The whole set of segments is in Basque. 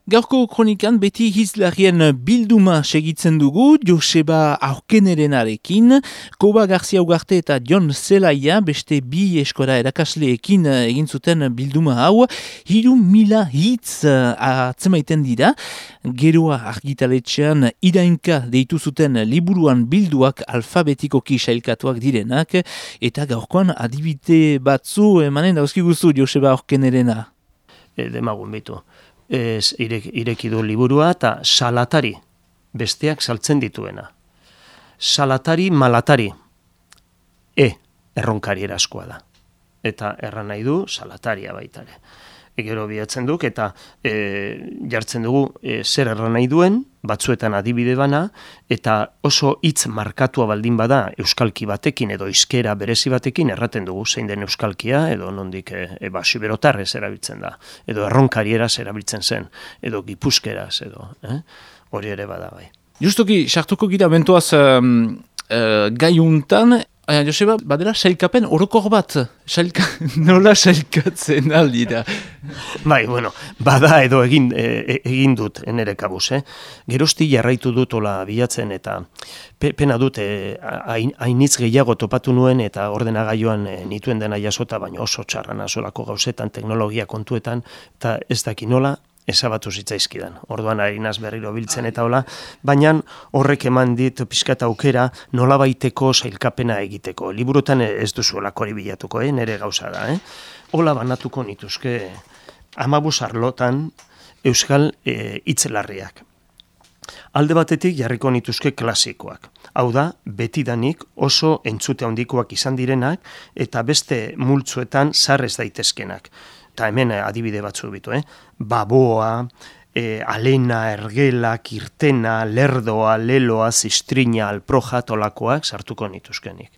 Gaurko kronikan beti hizlarien bilduma segitzen dugu, Joseba Aurkenerenarekin, Koba Garcia Ugarte eta Jon Zelaia beste bi eskora erakasleekin egin zuten bilduma hau, 3.000 hitz atzemaiten dira, geroa argitaletxean irainka deitu zuten liburuan bilduak alfabetikoki sailkatuak direnak, eta gaurkoan adibide batzu emanen dauzkiguzu Joseba Aurkenerena. Demagun bitu. Ireki du liburua eta salatari, besteak saltzen dituena. Salatari malatari, erronkari eraskoa da. Eta erran nahi du salataria baitare. Gero bihatzen duk eta jartzen dugu zer erran nahi duen, batzuetan adibide bana, eta oso hitz markatua baldin bada euskalki batekin edo hizkera berezi batekin erraten dugu zein den euskalkia, edo nondik siberotarrez erabiltzen da, edo erronkarieraz erabiltzen zen, edo gipuzkeraz, edo hori ere bada bai. Justoki, sartuko gira bentoaz gaiuntan, Joseba, badela sailkapen orokor bat, nola sailkatzen aldi da? Bai, bueno, bada edo egin dut nere kabuz, Gerozti jarraitu dut ola bilatzen eta pena dut hainitz gehiago topatu nuen eta ordenagailuan nituen dena jasota, baina oso txarrana solako gauzetan, teknologia kontuetan, eta ez daki nola, ezabatu zitzaizkidan. Orduan harinaz berriro biltzen eta hola, baina horrek eman dit pixkat aukera nolabaiteko sailkapena egiteko. Liburutan ez duzuelako hori bilatuko, nere gauza da. Hola banatuko nituzke 15 arlotan euskal hitzelarriak. Alde batetik jarriko nituzke klasikoak. Hau da, betidanik oso entzute handikoak izan direnak eta beste multzuetan sarrez daitezkenak. Eta hemen adibide batzu bitu, Baboa, alena, ergela, kirtena, lerdoa, leloa, zistrina, alproja, tolakoak sartuko nituzkenik.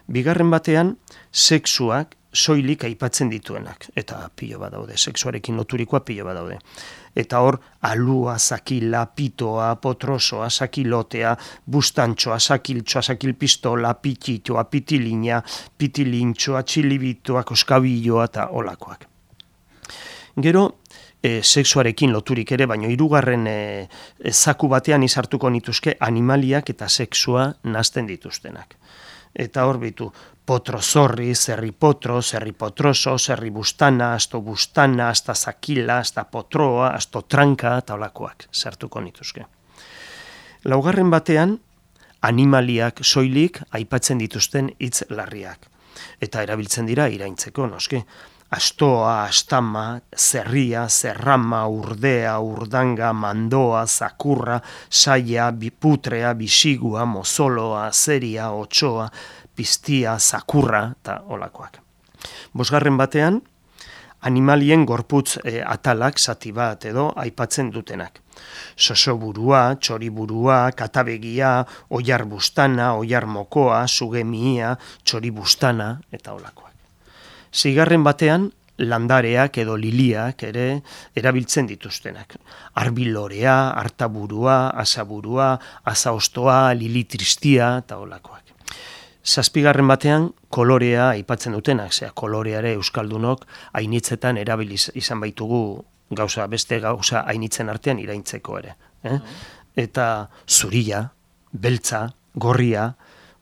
Bigarren batean, sexuak soilik aipatzen dituenak, eta pilo bat daude, sexuarekin loturikoa pilo bat daude. Eta hor, alua, zakila, pitoa, potrosoa, zakilotea, bustantxoa, zakiltxoa, zakilpistola, pititoa, pitilina, pitilintxoa, txilibitoa, koskabiloa eta olakoak. Gero, sexuarekin loturik ere, baina hirugarren zaku batean izartuko nituzke animaliak eta sexua nazten dituztenak. Eta hor bitu, potrozorri, zerripotro, zerripotroso, zerribustana, astobustana, hasta zakila, hasta potroa, astotranka eta olakoak sartuko nituzke. Laugarren batean, animaliak soilik aipatzen dituzten hitz larriak. Eta erabiltzen dira iraintzeko, noski. Astoa, astama, zerria, zerrama, urdea, urdanga, mandoa, zakurra, saia, biputrea, bisigua, mozoloa, azeria, otsoa, piztia, zakurra eta olakoak. Bosgarren batean, animalien gorputz atalak zati bat edo aipatzen dutenak. Sosoburua, txoriburua, katabegia, oiar bustana, oiar mokoa, sugemia, txoribustana eta olakoak. Zigarren batean, landareak edo liliak ere erabiltzen dituztenak. Arbilorea, artaburua, asaburua, asaostoa, lilitristia eta olakoak. Zazpigarren batean, kolorea aipatzen dutenak, koloreare euskaldunok hainitzetan erabiliz izan baitugu beste gauza hainitzen artean iraintzeko ere. Eta zuria, beltza, gorria,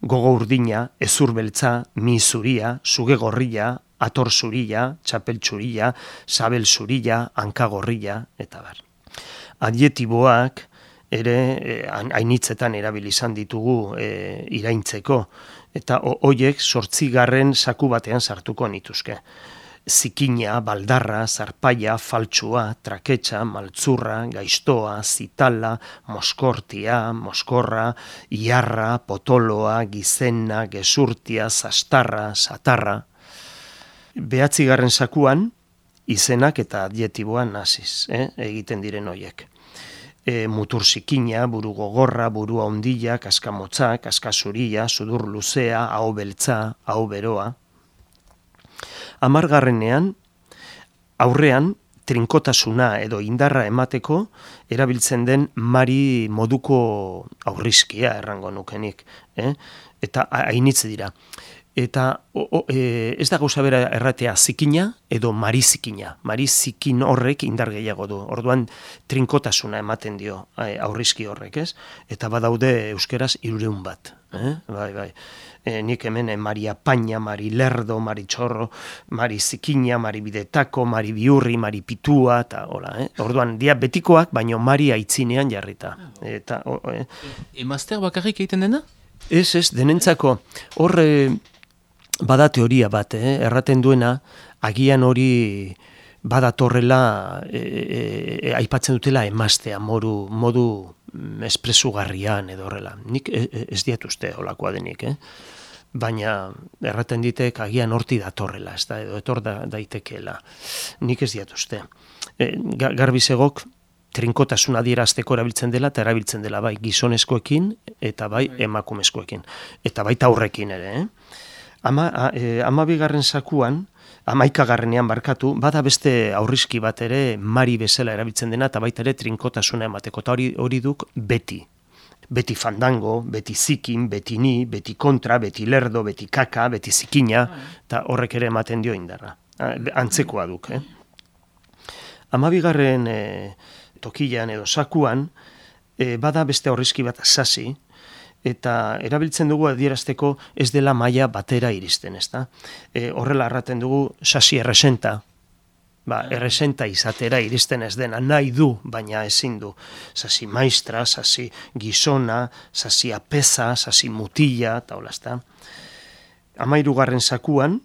gogo urdina, ezur beltza, mi zuria, suge gorria, ator zuria, txapel zuria, sabel zuria, hanka gorria, eta bar. Adjetiboak ere hainitzetan erabili izan ditugu iraintzeko, eta hoiek 8. zaku batean sartuko nituzke. Zikina, baldarra, zarpaia, faltsua, traketxa, maltzurra, gaiztoa, zitala, moskortia, moskorra, iarra, potoloa, gizena, gezurtia, zastarra, satarra. 9. zakuan, izenak eta adjetiboan naziz, egiten diren hoiek. Mutur zikina, buru gogorra, burua ondila, kaskamotza, kaskasuria, sudur luzea, aho beltza, aho beroa. 10. aurrean, trinkotasuna edo indarra emateko erabiltzen den mari moduko aurrizkia errango nukenik. Eta hainitze dira. Eta ez da gauza bera erratea zikina edo marizikina. Marizikin horrek indar gehiago du. Orduan trinkotasuna ematen dio aurrizki horrek, ez? Eta badaude euskeraz 300 bat. Bai. Nik hemen Maria Paña, Mari Lerdo, Mari Txorro, Mari Zikina, Mari Bidetako, Mari Biurri, Mari Pitua, eta hola. Orduan, dia betikoak, baino Mari aitzinean jarrita. Emazter bakarrik egiten dena? Ez, denentzako. Hor bada teoria bat, erraten duena, agian hori badatorrela, aipatzen dutela emaztea, modu espresugarrian edo horrela. Nik ez diat uste holakoa denik, baina erraten ditek agian horti datorrela, ez da, edo etor daitekeela. Nik ez diat uste. Garbizegok trinkotasuna adierazteko erabiltzen dela, eta erabiltzen dela bai gizonezkoekin eta bai emakumezkoekin. Eta baita aurrekin ere, 12. sakuan, 11. barkatu, bada beste aurrizki bat ere Mari bezala erabiltzen dena, eta baita ere trinkotasuna emateko, eta hori duk beti. Beti fandango, beti zikin, beti ni, beti kontra, beti lerdo, beti kaka, beti zikina, eta horrek ere ematen dio indarra. Antzekoa duk, 12. Tokian edo sakuan, bada beste aurrizki bat sasi, eta erabiltzen dugu adierazteko ez dela maila batera iristen, ezta? Horrela erraten dugu sasi erresenta, erresenta izatera iristen ez dena, nahi du, baina ezin du. Sasi maistra, sasi gizona, sasi apeza, sasi mutila, eta hola, ezta? 13. sakuan,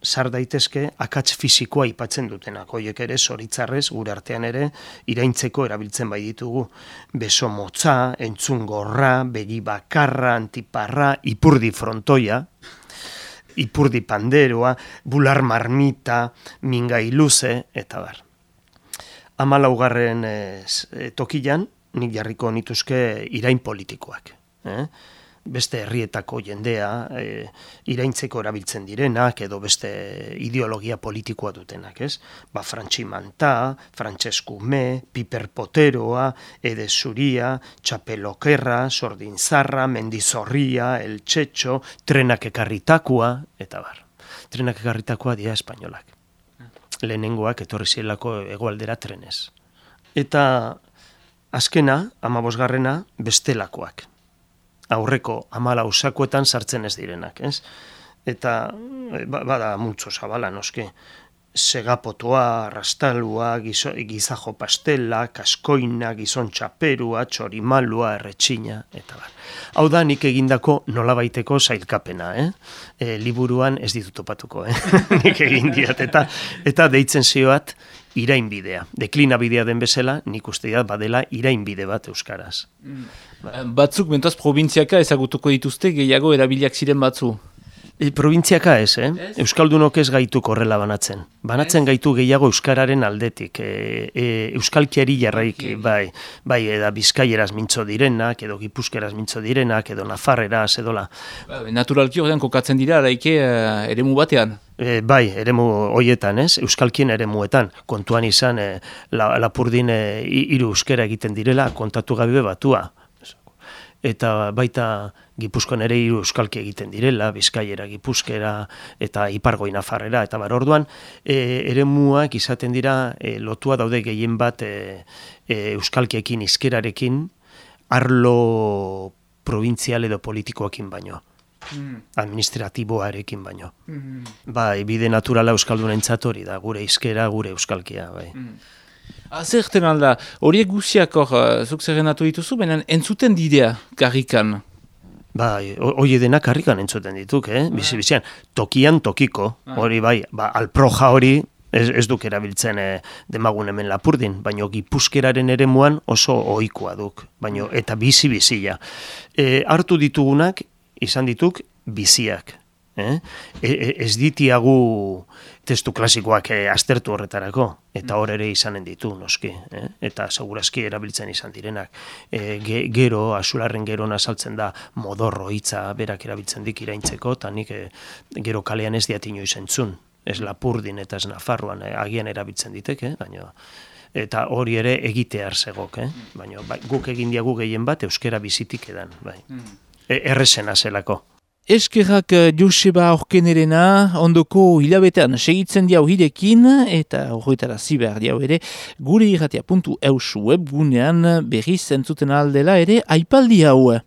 sar daitezke akats fisikoa aipatzen dutenak. Hoiek ere zoritzarrez gure artean ere iraintzeko erabiltzen bai ditugu. Beso motza, entzun gorra, begi bakarra, antiparra, ipurdi frontoia, ipurdi panderoa, bular marmita, mingai luze, eta bar. 14. Tokian, nik jarriko nituzke irain politikoak. Beste herrietako jendea, iraintzeko erabiltzen direnak, edo beste ideologia politikoa dutenak, ez? Frantxi Manta, Francesco Me, Piper Poteroa, Ede Zuria, Txapelokerra, Sordinzarra, Mendizorria, El Txetxo, Trenak ekarritakoa, eta bar. Trenak ekarritakoa dira espainolak. Lehenengoak etorri zielako hegoaldera trenez. Eta azkena, 15. bestelakoak. Aurreko 14 sakuetan sartzen ez direnak, ez? Eta bada multzo zabala, noski. Segapotoa, rastalua, gizajo pastela, kaskoina, gizon txaperua, txorimalua, erretxina, eta bar. Hau da nik egindako nolabaiteko sailkapena, liburuan ez ditut topatuko, nik egin diat, eta deitzen zioat irainbidea. Deklinabidea den bezala, nik uste dut badela irainbide bat euskaraz. Batzuk, mentaz, probintziaka ezagutuko dituzte gehiago erabiliak ziren batzu? Probintziaka ez, Euskaldunok ez gaituk horrela banatzen. Banatzen gaitu gehiago euskararen aldetik. Euskalkiari jarraik, bai, eda bizkaieraz mintzo direnak, edo gipuzkeraz mintzo direnak, edo nafarreraz, edola. Naturalki horrean kokatzen dira, araike eremu batean. Bai, eremu hoietan, euskalkien eremuetan. Kontuan izan, Lapurdin 3 euskera egiten direla, kontatu gabe batua. Eta baita Gipuzkoan ere 3 euskalki egiten direla, Bizkaiera, Gipuzkera eta Ipargoi Nafarrera, eta bar orduan eremuak izaten dira lotua daude gehien bat euskalkiekin, hizkerarekin, arlo provintzial edo politikoekin baino. Administratiboarekin baino. Bai, bide naturala euskaldunentzat hori da, gure hizkera, gure euskalkia, bai. Zerten alda, horiek guziak zuk zerrenatu dituzu, baina entzuten didea karrikan? Bai, hori denak karrikan entzuten dituk, bizi-bizian. Tokian tokiko, hori bai, alproja hori ez duk erabiltzen demagun hemen Lapurdin, baina Gipuzkeraren eremuan oso ohikoa duk, baina eta bizi-bizia. Hartu ditugunak, izan dituk, biziak. Ez ditiagu testu klasikoak aztertu horretarako, eta hor ere izanen ditu, noski, eta segurazki erabiltzen izan direnak. Gero, Azularren gero azaltzen da modorro hitza berak erabiltzen dik iraintzeko, eta nik gero kalean ez diat inoiz entzun, ez Lapurdin eta ez Nafarroan agian erabiltzen diteke, baina eta hori ere egitear zegok, baina guk egin diagu gehien bat euskera bizitik edan, bai. Errezena zelako. Eskerrak Joseba Aurkenerena, ondoko hilabetean segitzen diau hirekin, eta horretara ziber diau ere, gure irratia.eus webgunean berriz entzuten aldela ere aipaldi hau.